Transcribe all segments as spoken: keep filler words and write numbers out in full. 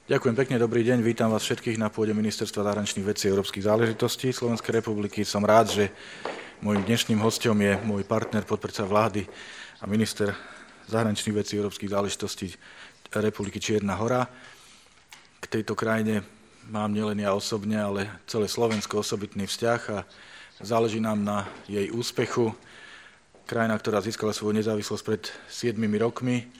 Ďakujem pekne, dobrý deň, vítam vás všetkých na pôde Ministerstva zahraničných vecí a európskych záležitostí Slovenskej republiky. Som rád, že môjim dnešným hosťom je môj partner, podpredseda vlády a minister zahraničných vecí a európskych záležitostí Republiky Čierna Hora. K tejto krajine mám nielen ja osobne, ale celé Slovensko osobitný vzťah a záleží nám na jej úspechu. Krajina, ktorá získala svoju nezávislosť pred siedmimi rokmi,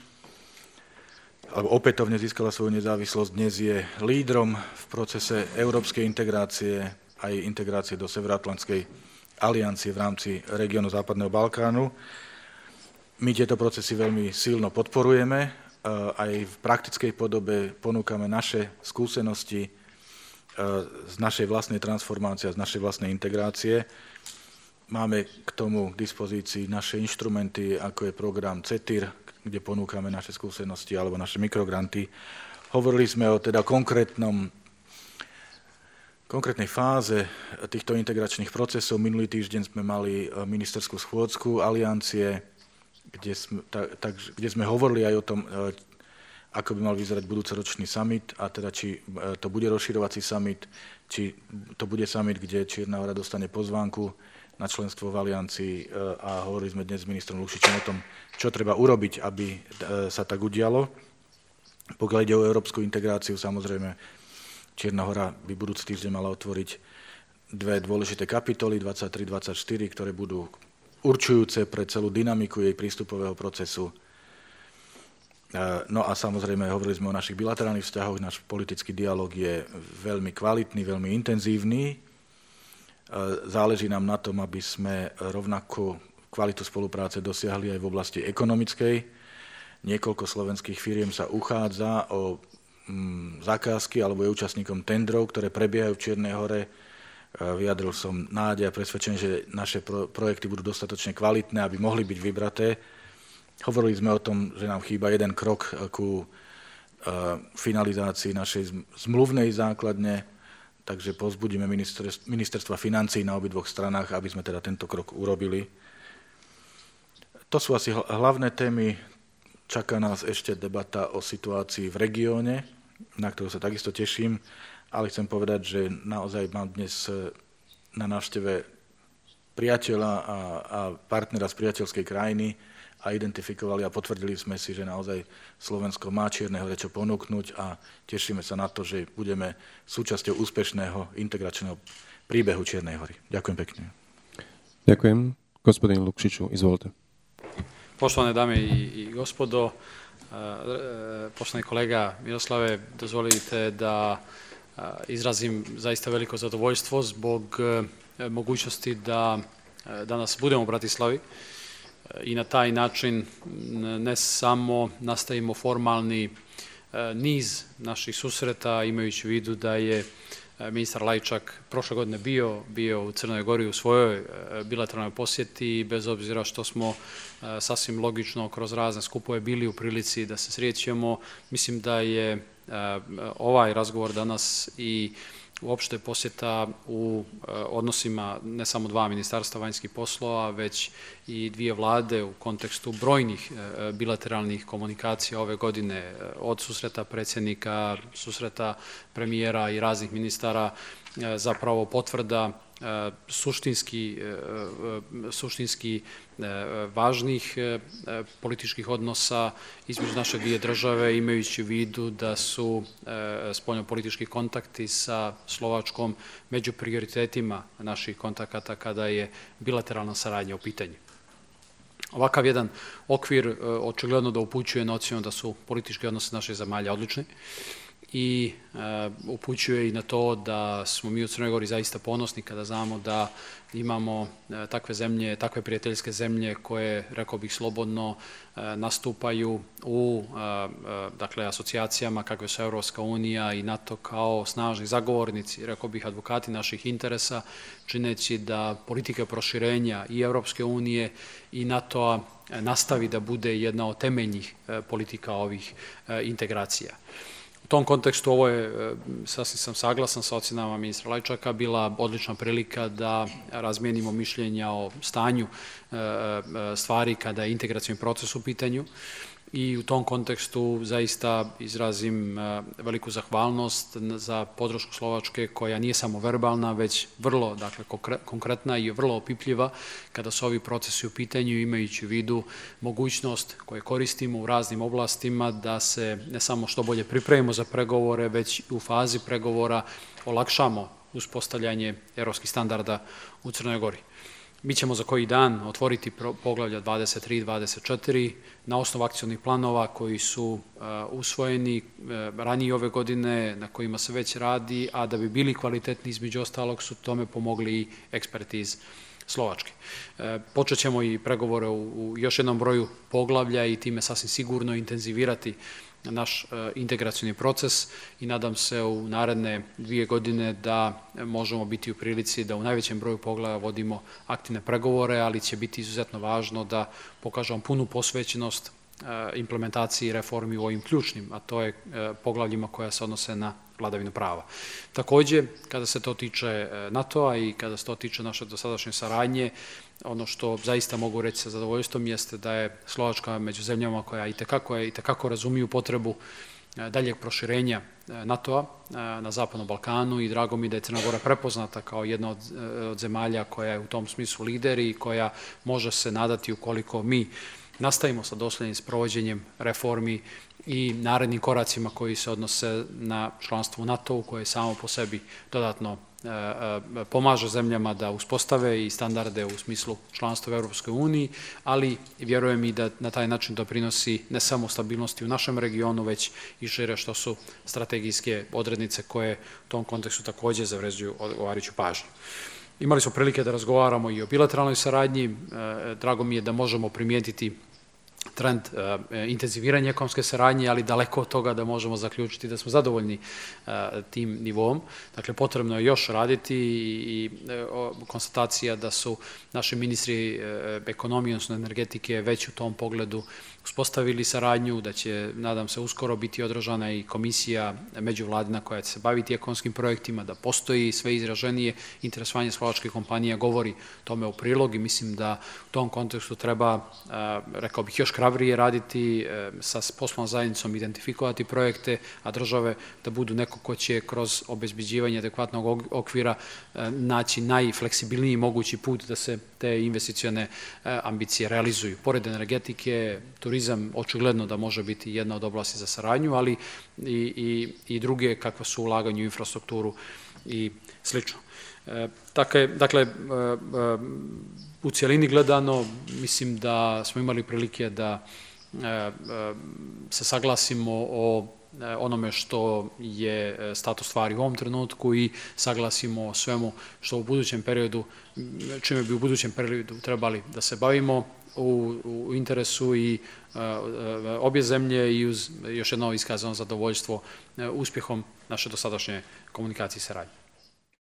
alebo opätovne získala svoju nezávislosť, dnes je lídrom v procese európskej integrácie aj integrácie do Severoatlantskej aliancie v rámci regiónu Západného Balkánu. My tieto procesy veľmi silno podporujeme, aj v praktickej podobe ponúkame naše skúsenosti z našej vlastnej transformácie a z našej vlastnej integrácie. Máme k tomu k dispozícii naše inštrumenty, ako je program CETIR, kde ponúkame naše skúsenosti alebo naše mikrogranty. Hovorili sme o teda konkrétnom, konkrétnej fáze týchto integračných procesov. Minulý týždeň sme mali ministerskú schôdzku aliancie, kde sme, tak, tak, kde sme hovorili aj o tom, ako by mal vyzerať budúcoročný summit, a teda či to bude rozširovací summit, či to bude summit, kde Čierna Hora dostane pozvánku na členstvo v aliancii, a hovorili sme dnes s ministrom Lukšičom o tom, čo treba urobiť, aby sa tak udialo. Pokiaľ ide o európsku integráciu, samozrejme, Čierna Hora by budúci týždeň mala otvoriť dve dôležité kapitoly, dvadsaťtri dvadsaťštyri, ktoré budú určujúce pre celú dynamiku jej prístupového procesu. No a samozrejme, hovorili sme o našich bilaterálnych vzťahoch, náš politický dialog je veľmi kvalitný, veľmi intenzívny. Záleží nám na tom, aby sme rovnako kvalitu spolupráce dosiahli aj v oblasti ekonomickej. Niekoľko slovenských firiem sa uchádza o mm, zakázky alebo je účastníkom tendrov, ktoré prebiehajú v Čiernej Hore. Vyjadril som nádej a presvedčenie, že naše pro, projekty budú dostatočne kvalitné, aby mohli byť vybraté. Hovorili sme o tom, že nám chýba jeden krok ku uh, finalizácii našej zmluvnej základne, takže povzbudíme ministerstva financií na obidvoch stranách, aby sme teda tento krok urobili. To sú asi hlavné témy. Čaká nás ešte debata o situácii v regióne, na ktorú sa takisto teším, ale chcem povedať, že naozaj mám dnes na návšteve priateľa a, a partnera z priateľskej krajiny a identifikovali a potvrdili sme si, že naozaj Slovensko má Čiernej Hore čo ponúknuť a tešíme sa na to, že budeme súčasťou úspešného integračného príbehu Čiernej Hory. Ďakujem pekne. Ďakujem. Gospodin Lukšiću, izvolite. Poštovane dame i, i gospodo, poštovani kolega Miroslave, dozvolite da izrazim zaista veliko zadovoljstvo zbog mogućnosti da danas budemo u Bratislavi i na taj način ne samo nastavimo formalni niz naših susreta, imajući u vidu da je ministar Lajčak prošle godine bio, bio u Crnoj Gori u svojoj bilateralnoj posjeti, bez obzira što smo sasvim logično kroz razne skupove bili u prilici da se srećemo. Mislim da je ovaj razgovor danas i uopšte posjeta u odnosima ne samo dva ministarstva vanjskih poslova, već i dvije vlade u kontekstu brojnih bilateralnih komunikacija ove godine, od susreta predsjednika, susreta premijera i raznih ministara, zapravo potvrda suštinski, suštinski važnih političkih odnosa između naše dvije države, imajući u vidu da su spoljnopolitički kontakti sa Slovačkom među prioritetima naših kontakata kada je bilateralna saradnja u pitanju. Ovakav jedan okvir očigledno da upućuje na ocjenu da su politički odnosi naših zemalja odlični i uh, upućuje i na to da smo mi u Crnoj Gori zaista ponosni kada znamo da imamo uh, takve zemlje, takve prijateljske zemlje koje, rekao bih slobodno, uh, nastupaju u uh, uh, dakle, asocijacijama kakve su Europska unija i NATO kao snažni zagovornici, rekao bih advokati naših interesa, čineći da politika proširenja i Europske unije i NATO-a nastavi da bude jedna od temeljnih uh, politika ovih uh, integracija. U tom kontekstu ovo je, sasvim sam saglasan sa ocjenama ministra Lajčaka, bila odlična prilika da razmijenimo mišljenja o stanju stvari kada je integracioni proces u pitanju i u tom kontekstu zaista izrazim veliku zahvalnost za podršku Slovačke koja nije samo verbalna, već vrlo dakle, konkretna i vrlo opipljiva kada su ovi procesi u pitanju, imajući u vidu mogućnost koje koristimo u raznim oblastima da se ne samo što bolje pripremimo za pregovore, već u fazi pregovora olakšamo uspostavljanje evropskih standarda u Crnoj Gori. Mi ćemo za koji dan otvoriti poglavlja dvadeset tri i dvadeset četiri na osnovu akcionih planova koji su usvojeni ranije ove godine, na kojima se već radi, a da bi bili kvalitetni između ostalog su tome pomogli i eksperti iz Slovačke. Počet ćemo i pregovore u još jednom broju poglavlja i time sasvim sigurno intenzivirati naš integracioni proces i nadam se u naredne dvije godine da možemo biti u prilici da u najvećem broju poglavlja vodimo aktivne pregovore, ali će biti izuzetno važno da pokažemo punu posvećenost implementaciji reformi u ovim ključnim, a to je poglavljima koja se odnose na vladavinu prava. Takođe, kada se to tiče NATO-a i kada se to tiče naše dosadašnje saradnje, ono što zaista mogu reći sa zadovoljstvom jeste da je Slovačka među zemljama koja itekako, itekako razumiju potrebu daljeg proširenja NATO-a na Zapadnom Balkanu i drago mi da je Crna Gora prepoznata kao jedna od, od zemalja koja je u tom smislu lider i koja može se nadati ukoliko mi nastavimo sa doslednim sprovođenjem reformi i narednim koracima koji se odnose na članstvo u NATO-u koje samo po sebi dodatno pomaže zemljama da uspostave i standarde u smislu članstva u Evropskoj uniji, ali vjerujem i da na taj način doprinosi ne samo stabilnosti u našem regionu, već i šire što su strategijske odrednice koje u tom kontekstu takođe zavređuju odgovarajuću pažnju. Imali smo prilike da razgovaramo i o bilateralnoj saradnji. Drago mi je da možemo primijetiti trend intenziviranja ekonomske saradnje, ali daleko od toga da možemo zaključiti da smo zadovoljni tim nivom. Dakle, potrebno je još raditi i konstatacija da su naši ministri ekonomije, odnosno energetike, već u tom pogledu uspostavili saradnju, da će, nadam se, uskoro biti održana i komisija međuvladina koja će se baviti ekonomskim projektima, da postoji sve izraženije interesovanje slovačkih kompanija, govori tome u prilog i mislim da u tom kontekstu treba, rekao bih, još hrabrije raditi, sa poslovnom zajednicom identifikovati projekte, a države da budu neko ko će kroz obezbeđivanje adekvatnog okvira naći najfleksibilniji mogući put da se te investicione ambicije realizuju. Pored energetike, turizam očigledno da može biti jedna od oblasti za saradnju, ali i, i, i druge kakva su ulaganje u infrastrukturu i slično. Dakle, dakle, u cijelini gledano, mislim da smo imali prilike da se saglasimo o onome što je status stvari u ovom trenutku i saglasimo o svemu što u budućem periodu, čime bi u budućem periodu trebali da se bavimo u, u interesu i obje zemlje i uz još jedno iskazano zadovoljstvo uspjehom naše dosadašnje komunikacije i saradnje.